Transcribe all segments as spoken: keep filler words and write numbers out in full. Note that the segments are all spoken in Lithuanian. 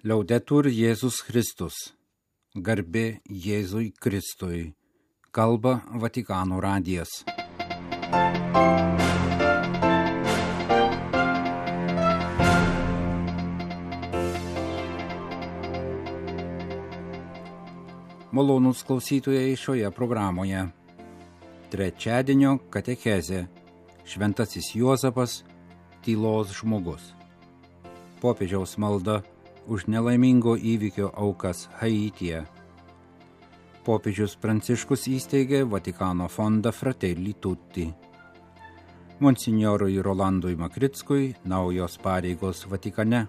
Liaudetur Jėzus Kristus. Garbė Jėzui Kristui. Kalba Vatikano radijas. Malonūs klausytojai šioje programoje. Trečiadienio katechezė. Šventasis Juozapas, tylos žmogus. Popiežiaus malda už nelaimingo įvykio aukas Haityje. Popiežius Pranciškus įsteigė Vatikano fondą Fratelli Tutti. Monsinjorui Rolandui Makrickui naujos pareigos Vatikane.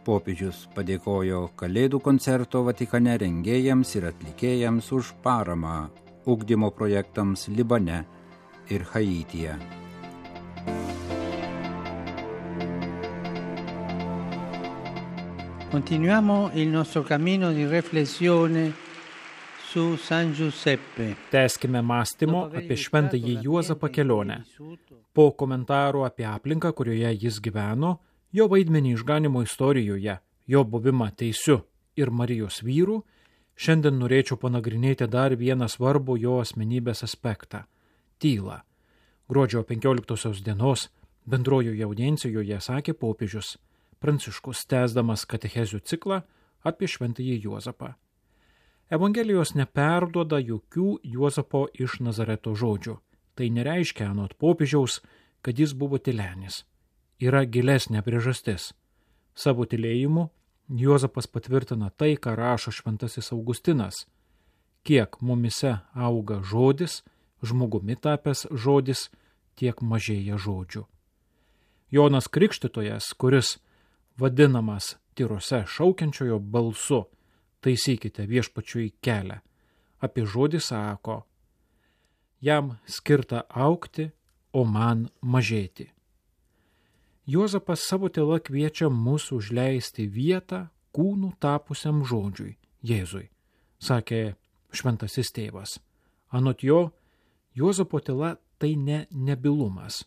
Popiežius padėkojo Kalėdų koncerto Vatikane rengėjams ir atlikėjams už paramą ugdymo projektams Libane ir Haityje. Continuiamo il nostro cammino di riflessione su San Giuseppe. Tęskime mąstymo apie šventąjį Juozapą kelionę. Po komentarų apie aplinką, kurioje jis gyveno, jo vaidmenį išganimo istorijoje, jo buvimą teisiu ir Marijos vyrų, šiandien norėčiau panagrinėti dar vieną svarbų jo asmenybės aspektą – tylą. Gruodžio penkioliktosios dienos bendrojoje audiencijoje sakė popiežius Pranciškus, tęsdamas katechezių ciklą apie šventąjį Juozapą. Evangelijos neperduoda jokių Juozapo iš Nazareto žodžių. Tai nereiškia anot popiežiaus, kad jis buvo tylenis. Yra gilesnė priežastis. Savo tylėjimu Juozapas patvirtina tai, ką rašo šventasis Augustinas. Kiek mumise auga žodis, žmogumi tapęs žodis, tiek mažėja žodžių. Jonas Krikštytojas, kuris vadinamas tyrose šaukiančiojo balsu, taisykite viešpačiui kelią, apie žodį sako, jam skirta augti, o man mažėti. Juozapas savo tyla kviečia mus užleisti vietą kūnų tapusiam žodžiui, Jėzui, sakė šventasis tėvas. Anot jo, Juozapo tyla tai ne nebylumas,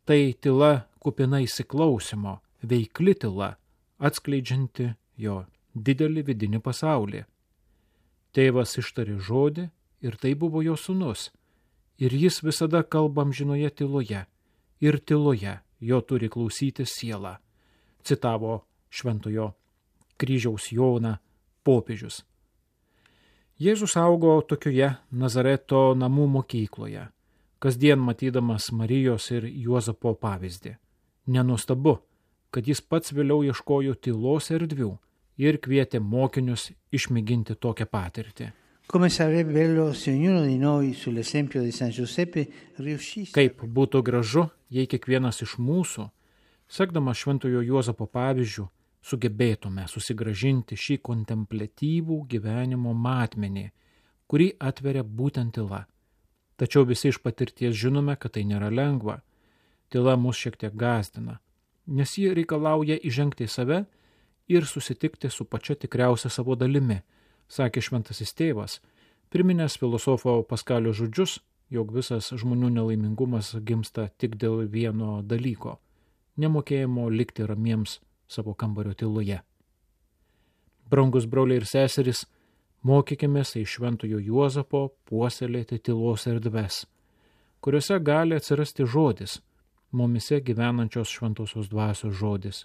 tai tyla kupina įsiklausimo, veikli tyla, atskleidžianti jo didelį vidinį pasaulį. Tėvas ištarė žodį ir tai buvo jo sūnus, ir jis visada kalba amžinoje tyloje, ir tyloje jo turi klausyti siela, citavo šventojo kryžiaus Joną popiežius. Jėzus augo tokioje Nazareto namų mokykloje, kasdien matydamas Marijos ir Juozapo pavyzdį. Nenuostabu, kad jis pats vėliau ieškojo tylos erdvių ir kvietė mokinius išmėginti tokią patirtį. Kaip būtų gražu, jei kiekvienas iš mūsų, sekdamas šventojo Juozapo pavyzdžių, sugebėtume susigrąžinti šį kontempliatyvų gyvenimo matmenį, kurį atveria būtent tyla. Tačiau visi iš patirties žinome, kad tai nėra lengva. Tyla mus šiek tiek gąsdina, nes ji reikalauja įžengti į save ir susitikti su pačia tikriausia savo dalimi, sakė šventasis tėvas, priminęs filosofo Paskalio žodžius, jog visas žmonių nelaimingumas gimsta tik dėl vieno dalyko – nemokėjimo likti ramiems savo kambario tyloje. Brangus broliai ir seserys, mokykimės iš šventojo Juozapo puoselėti tylos erdves, kuriuose gali atsirasti žodis, mumise gyvenančios šventosios dvasios žodis.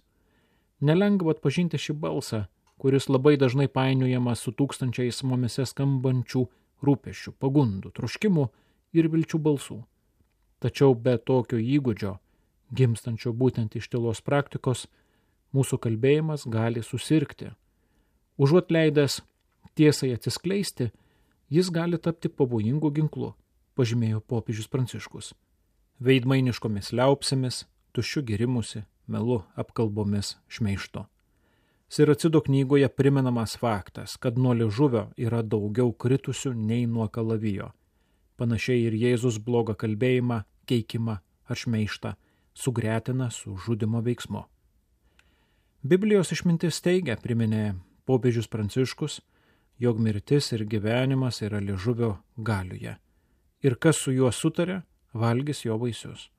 Nelengva atpažinti šį balsą, kuris labai dažnai painiojamas su tūkstančiais mumise skambančių rūpesčių, pagundų, troškimų ir vilčių balsų. Tačiau be tokio įgūdžio, gimstančio būtent iš tylos praktikos, mūsų kalbėjimas gali susirgti. Užuot leidęs tiesai atsiskleisti, jis gali tapti pavojingu ginklu, pažymėjo popiežius Pranciškus. Veidmainiškomis liaupsėmis, tuščiu girimusi, melu, apkalbomis, šmeižto. Siracido knygoje primenamas faktas, kad nuo liežuvio yra daugiau kritusių nei nuo kalavijo. Panašiai ir Jėzus blogą kalbėjimą, keikimą ar šmeižtą sugretina su žudymo veiksmu. Biblijos išmintis teigia, priminė popiežius Pranciškus, jog mirtis ir gyvenimas yra liežuvio galioje. Ir kas su juo sutarė, valgys jo vaisius.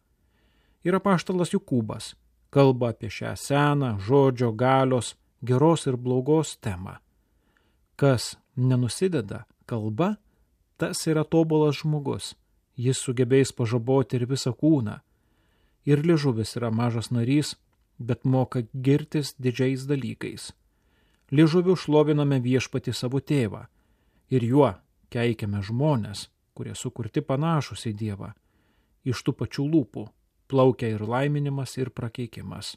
Ir apaštalas Jokūbas kalba apie šią seną žodžio galios geros ir blogos temą. Kas nenusideda kalba, tas yra tobulas žmogus. Jis sugebės pažaboti ir visą kūną. Ir liežuvis yra mažas narys, bet moka girtis didžiais dalykais. Liežuviu šloviname viešpatį savo tėvą ir juo keikiame žmonės, kurie sukurti panašus į Dievą. Iš tų pačių lūpų plaukia ir laiminimas, ir prakeikimas.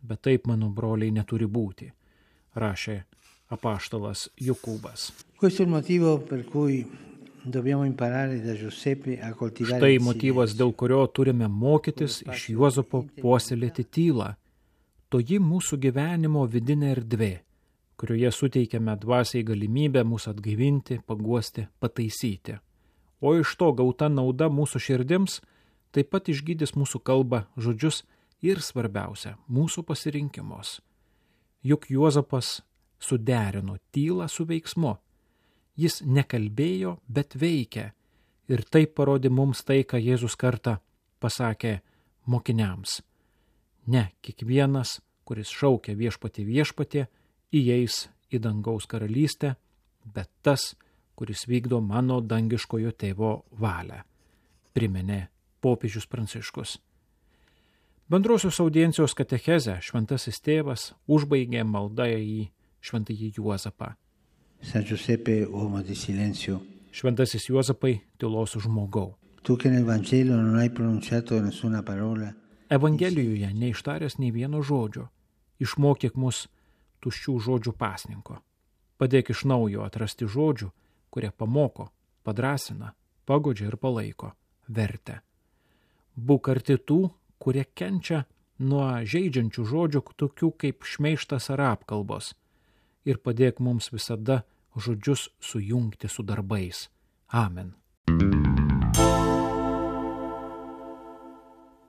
Bet taip, mano broliai, neturi būti, rašė apaštalas Jokūbas. Questo è il motivo per cui dobbiamo imparare da Giuseppe a coltivare. Štai motyvas, dėl kurio turime mokytis iš Juozapo puoselėti tylą. Toji mūsų gyvenimo vidinė erdvė, kurioje suteikiame dvasiai galimybę mūsų atgaivinti, paguosti, pataisyti. O iš to gauta nauda mūsų širdims taip pat išgydys mūsų kalbą, žodžius ir svarbiausia, mūsų pasirinkimus. Juk Juozapas suderino tylą su veiksmu. Jis nekalbėjo, bet veikė. Ir taip parodė mums tai, ką Jėzus kartą pasakė mokiniams. Ne kiekvienas, kuris šaukia viešpatį viešpatį, įeis į dangaus karalystę, bet tas, kuris vykdo mano dangiškojo tėvo valią, priminė popiežius Pranciškus. Bendrosios audiencijos katechezę šventasis tėvas užbaigė maldą į šventąjį Juozapą. San Giuseppe, uomo di silenzio. Šventasis Juozapai, tylos žmogau. Tu che nel Vangelo non hai pronunciato nessuna parola. Evangelijoje neištaręs nei vieno žodžio. Išmokyk mus tuščių žodžių pasninko. Padėk iš naujo atrasti žodžių, kurie pamoko, padrasina, pagodžia ir palaiko, vertę. Būk arti tų, kurie kenčia nuo žeidžiančių žodžių, tokių kaip šmeižtas ar apkalbos. Ir padėk mums visada žodžius sujungti su darbais. Amen.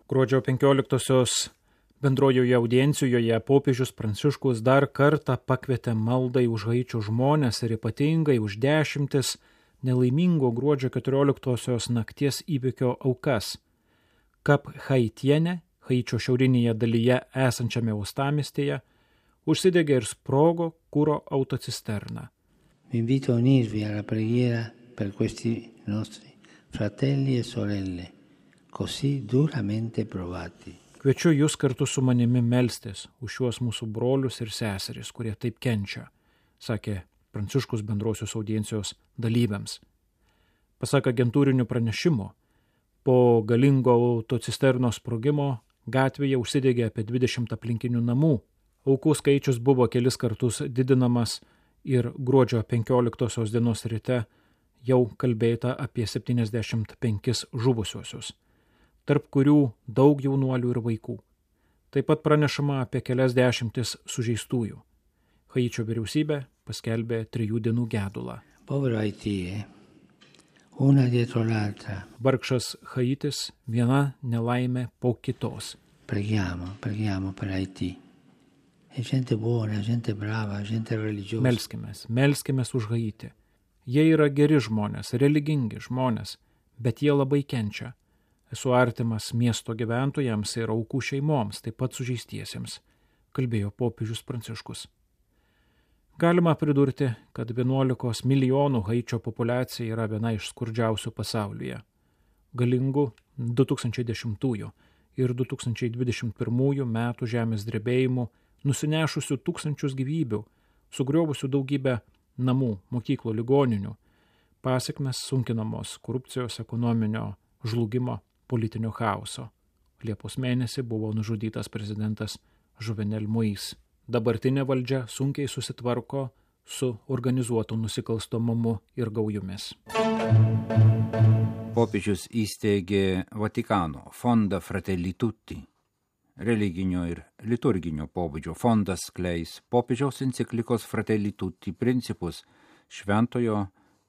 Gruodžio penkioliktosios bendrojoje audiencijoje popiežius Pranciškus dar kartą pakvietė maldai už Haičio žmones ir ypatingai už dešimtis nelaimingo gruodžio keturioliktosios nakties įvykio aukas. Kap Haitienė, Haičio šiaurinėje dalyje esančiame uostamiestyje, užsidegė ir sprogo kuro autocisterna. Vi invito a unirvi alla preghiera per questi nostri fratelli e sorelle, così duramente provati. Kviečiu jūs kartu su manimi melstis už šiuos mūsų brolius ir seseris, kurie taip kenčia, sakė Pranciškus bendrosios audiencijos dalyviams. Pasak agentūrinių pranešimų, po galingo autocisternos sprogimo gatvėje užsidegė apie dvidešimt aplinkinių namų. Aukų skaičius buvo kelis kartus didinamas ir gruodžio penkioliktosios dienos ryte jau kalbėta apie septyniasdešimt penkis žuvusiuosius, tarp kurių daug jaunuolių ir vaikų. Taip pat pranešama apie kelias dešimtis sužeistųjų. Haičio vyriausybė paskelbė trijų dienų gedulą. Povero Haitį, una dietro l'altra. Vargšas Haitis, viena nelaimė po kitos. Preghiamo, preghiamo per Haitį. È gente buona, gente brava, gente religiosa. Melskimės, melskimės už Haitį. Jie yra geri žmonės, religingi žmonės, bet jie labai kenčia. Esu artimas miesto gyventojams ir aukų šeimoms, taip pat sužeistiesiems, kalbėjo popiežius Pranciškus. Galima pridurti, kad vienuolikos milijonų Haičio populiacija yra viena iš skurdžiausių pasaulyje. Galingų du tūkstančiai dešimtųjų ir du tūkstančiai dvidešimt pirmųjų metų žemės drebėjimų, nusinešusių tūkstančius gyvybių, sugriovusių daugybę namų, mokyklų, ligoninių, pasekmes sunkinamos korupcijos, ekonominio žlugimo, politinio chaoso. Liepos mėnesį buvo nužudytas prezidentas Jovenel Moïse. Dabartinė valdžia sunkiai susitvarko su organizuotu nusikalstamumu ir gaujomis. Popiežius įsteigė Vatikano fondą Fratelli Tutti. Religinio ir liturginio pobūdžio fondas skleis popiežiaus enciklikos Fratelli Tutti principus Šventojo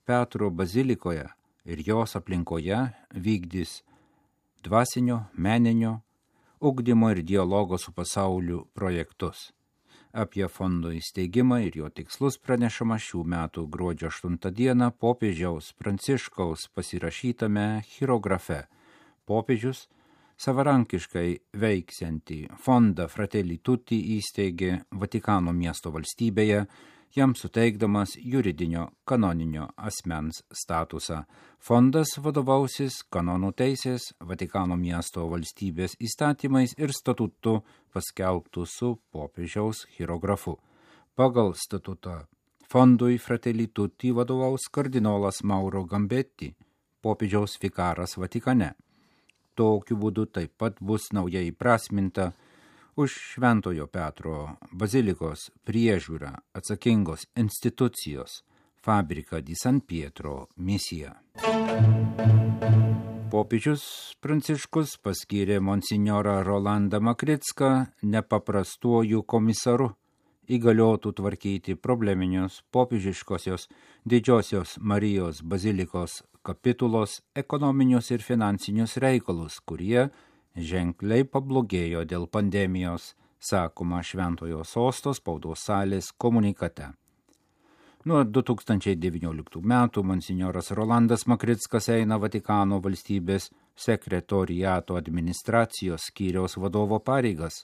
Petro bazilikoje ir jos aplinkoje, vykdys dvasinio, meninio, ugdymo ir dialogo su pasauliu projektus. Apie fondo įsteigimą ir jo tikslus pranešama šių metų gruodžio aštuntą dieną popiežiaus Pranciškaus pasirašytame chirografe Popiežius Savarankiškai veiksiantį fondą Fratelli Tutti įsteigė Vatikano miesto valstybėje, jam suteikdamas juridinio kanoninio asmens statusą. Fondas vadovausis kanonų teisės, Vatikano miesto valstybės įstatymais ir statutu paskelbtų su popiežiaus hierografu. Pagal statutą fondui Fratelli Tutti vadovaus kardinolas Mauro Gambetti, popiežiaus vikaras Vatikane. Tokiu būdu taip pat bus naujai įprasminta už Šventojo Petro bazilikos priežiūrą atsakingos institucijos Fabrica di San Pietro misija. Popiežius Pranciškus paskyrė monsinjorą Rolandą Makricką nepaprastuoju komisaru, įgaliotų tvarkyti probleminius popiežiškosios Didžiosios Marijos bazilikos kapitulos ekonominius ir finansinius reikalus, kurie ženkliai pablogėjo dėl pandemijos, sakoma Šventojo Sosto spaudos salės komunikate. Nuo du tūkstančiai devynioliktų metų monsinjoras Rolandas Makrickas eina Vatikano valstybės sekretoriato administracijos skyriaus vadovo pareigas.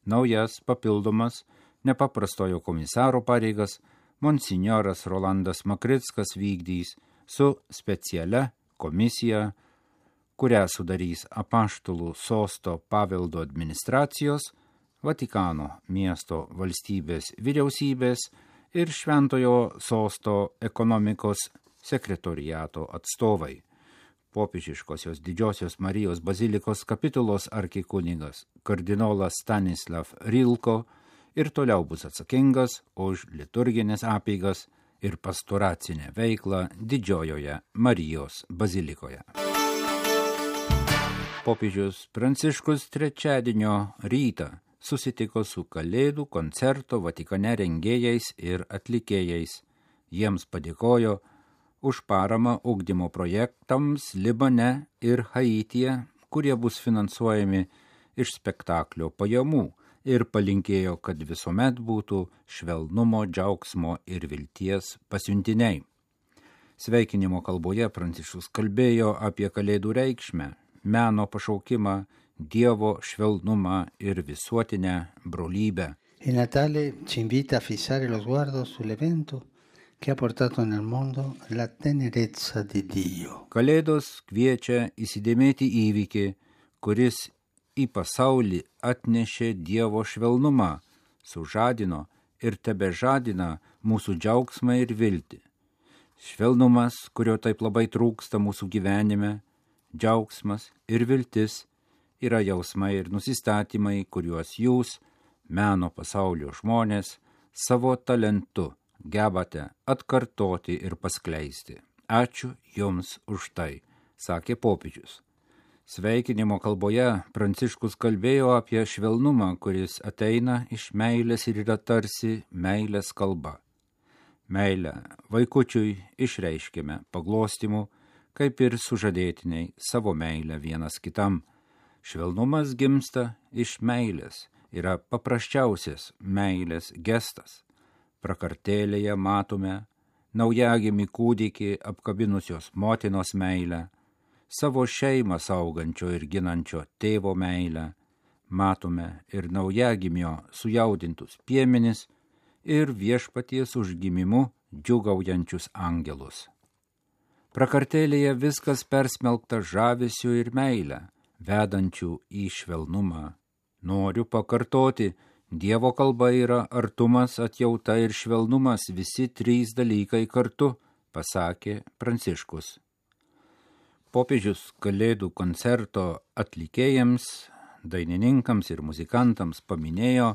Naujas papildomas nepaprastojo komisaro pareigas monsinjoras Rolandas Makrickas vykdys su specialia komisija, kurią sudarys Apaštalų sosto paveldo administracijos, Vatikano miesto valstybės vyriausybės ir Šventojo sosto ekonomikos sekretoriato atstovai. Popiežiškosios Didžiosios Marijos bazilikos kapitulos arkikunigas kardinolas Stanislav Rilko ir toliau bus atsakingas už liturginės apeigas ir pastoracinę veiklą Didžiojoje Marijos bazilikoje. Popiežius Pranciškus trečiadienio rytą susitiko su Kalėdų koncerto Vatikane rengėjais ir atlikėjais. Jiems padėkojo už paramą ugdymo projektams Libane ir Haityje, kurie bus finansuojami iš spektaklio pajamų, ir palinkėjo, kad visuomet būtų švelnumo, džiaugsmo ir vilties pasiuntiniai. Sveikinimo kalboje Pranciškus kalbėjo apie Kalėdų reikšmę, meno pašaukimą, Dievo švelnumą ir visuotinę brolybę. Il Natale ci invita a fissare lo sguardo sull'evento che ha portato nel mondo la tenerezza di Dio. Kalėdos kviečia įsidėmėti įvykį, kuris į pasaulį atnešė Dievo švelnumą, sužadino ir tebežadina mūsų džiaugsmą ir viltį. Švelnumas, kurio taip labai trūksta mūsų gyvenime, džiaugsmas ir viltis yra jausmai ir nusistatymai, kuriuos jūs, meno pasaulio žmonės, savo talentu gebate atkartoti ir paskleisti. Ačiū Jums už tai, sakė popiežius. Sveikinimo kalboje Pranciškus kalbėjo apie švelnumą, kuris ateina iš meilės ir yra tarsi meilės kalba. Meilę vaikučiui išreiškime paglostimu, kaip ir sužadėtiniai savo meilę vienas kitam. Švelnumas gimsta iš meilės, yra paprasčiausias meilės gestas. Prakartėlėje matome naujagimį kūdikį apkabinusios motinos meilę, savo šeimą saugančio ir ginančio tėvo meilę, matome ir naujagimio sujaudintus piemenis ir viešpaties užgimimu džiugaujančius angelus. Prakartėlėje viskas persmelkta žavesiu ir meilę, vedančių į švelnumą. Noriu pakartoti, Dievo kalba yra artumas, atjauta ir švelnumas, visi trys dalykai kartu, pasakė Pranciškus. Popiežius Kalėdų koncerto atlikėjams, dainininkams ir muzikantams paminėjo,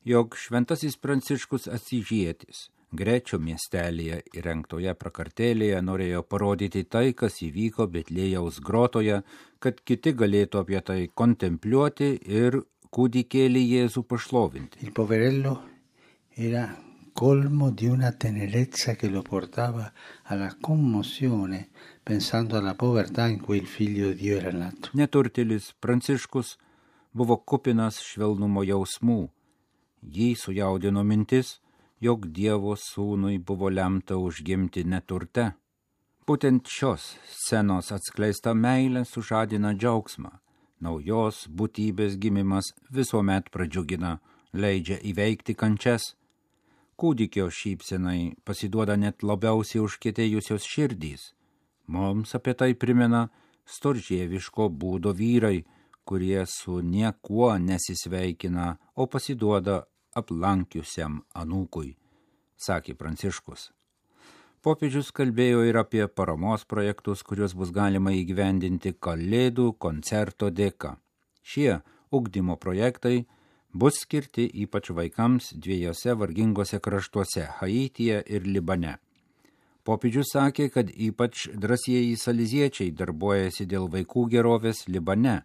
jog šventasis Pranciškus Asyžietis Grečio miestelėje įrengtoje prakartėlėje norėjo parodyti tai, kas įvyko Betliejaus grotoje, kad kiti galėtų apie tai kontempliuoti ir kūdikėlį Jėzų pašlovinti. Il poverello era colmo di una tenerezza che lo portava alla commozione, pensando alla povertà in cui il figlio di Dio era nato. Neturtėlis Pranciškus buvo kupinas švelnumo jausmų. Jį sujaudino mintis, jog Dievo sūnui buvo lemta užgimti neturte. Būtent šios scenos atskleista meilė sužadina džiaugsmą. naujos būtybės gimimas visuomet pradžiugina, leidžia įveikti kančias. Kūdikio šypsenai pasiduoda net labiausiai užkietėjusios širdys. Mums apie tai primena storžieviško būdo vyrai, kurie su niekuo nesisveikina, o pasiduoda aplankiusiam anūkui, sakė Pranciškus. Popiežius kalbėjo ir apie paramos projektus, kuriuos bus galima įgyvendinti Kalėdų koncerto dėka. Šie ugdymo projektai bus skirti ypač vaikams dviejose vargingose kraštuose – Haityje ir Libane. Popiežius sakė, kad ypač drąsieji saliziečiai darbuojasi dėl vaikų gerovės Libane.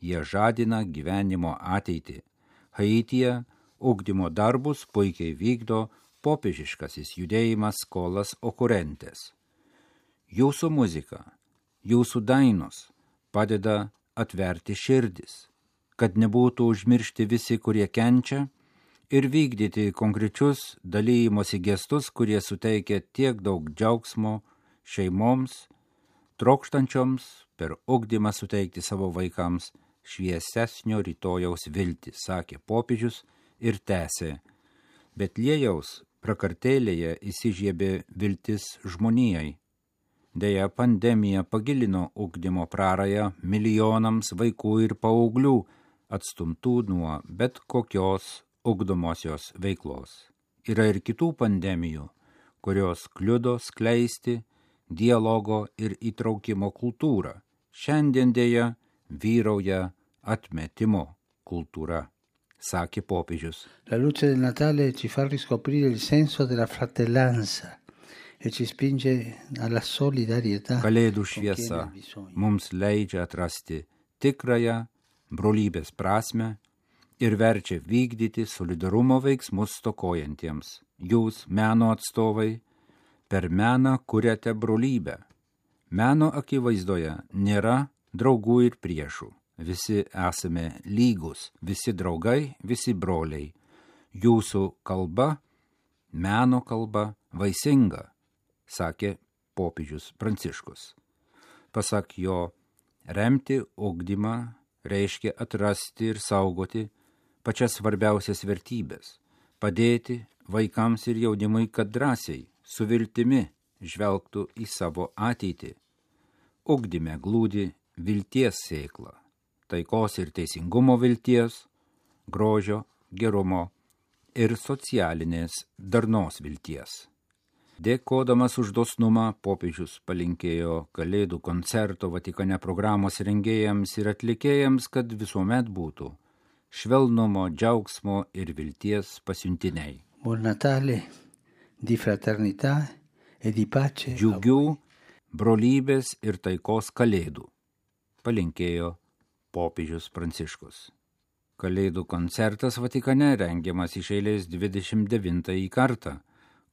Jie žadina gyvenimo ateitį. Haityje ugdymo darbus puikiai vykdo popiežiškasis judėjimas Skolas Okurentes. Jūsų muzika, jūsų dainos padeda atverti širdis, kad nebūtų užmiršti visi, kurie kenčia, ir vykdyti konkrečius dalymosi gestus, kurie suteikia tiek daug džiaugsmo šeimoms, trokštančioms per ugdymą suteikti savo vaikams šviesesnio rytojaus viltį, sakė popiežius ir tęsė. Betliejaus prakartėlėje įsižiebė viltis žmonijai. Deja, pandemija pagilino ugdymo prarają milijonams vaikų ir paauglių, atstumtų nuo bet kokios ugdomosios veiklos. Yra ir kitų pandemijų, kurios kliudo skleisti dialogo ir įtraukimo kultūrą. Šiandien deja vyrauja atmetimo kultūra, sakė popiežius. La luce del Natale ci fa riscoprire il senso della fratellanza e ci spinge alla solidarietà. Kalėdų šviesa mums leidžia atrasti tikrąją brolybės prasmę ir verčia vykdyti solidarumo veiksmus stokojantiems. Jūs, meno atstovai, per meną kuriate brolybę. Meno akivaizdoje nėra draugų ir priešų. Visi esame lygus, visi draugai, visi broliai. Jūsų kalba, meno kalba, vaisinga, sakė popiežius Pranciškus. Pasak jo, remti ugdymą reiškia atrasti ir saugoti pačias svarbiausias vertybės, padėti vaikams ir jaunimui, kad drąsiai, su viltimi žvelgtų į savo ateitį. Ugdyme glūdi vilties sėkla, taikos ir teisingumo vilties, grožio, gerumo ir socialinės darnos vilties. Dėkodamas už dosnumą, popiežius palinkėjo Kalėdų koncerto Vatikane programos rengėjams ir atlikėjams, kad visuomet būtų švelnumo, džiaugsmo ir vilties pasiuntiniai. Buon Natale, di fraternità e di pace. Džiugių, brolybės ir taikos kalėdų, palinkėjo popiežius Pranciškus. Kalėdų koncertas Vatikane rengiamas iš eilės dvidešimt devintąjį kartą.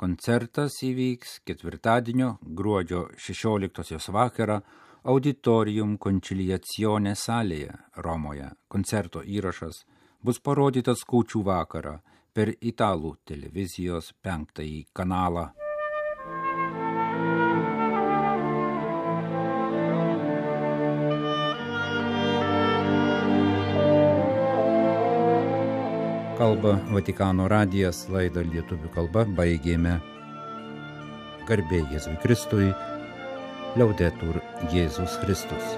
Koncertas įvyks ketvirtadienio gruodžio šešioliktosios vakarą Auditorium Conciliazione salėje Romoje. Koncerto įrašas bus parodytas kūčių vakarą per italų televizijos penktąjį kanalą. Kalba Vatikano radijas, laidą lietuvių kalba baigėme. Garbė Jėzui Kristui, Laudetur Jėzus Kristus.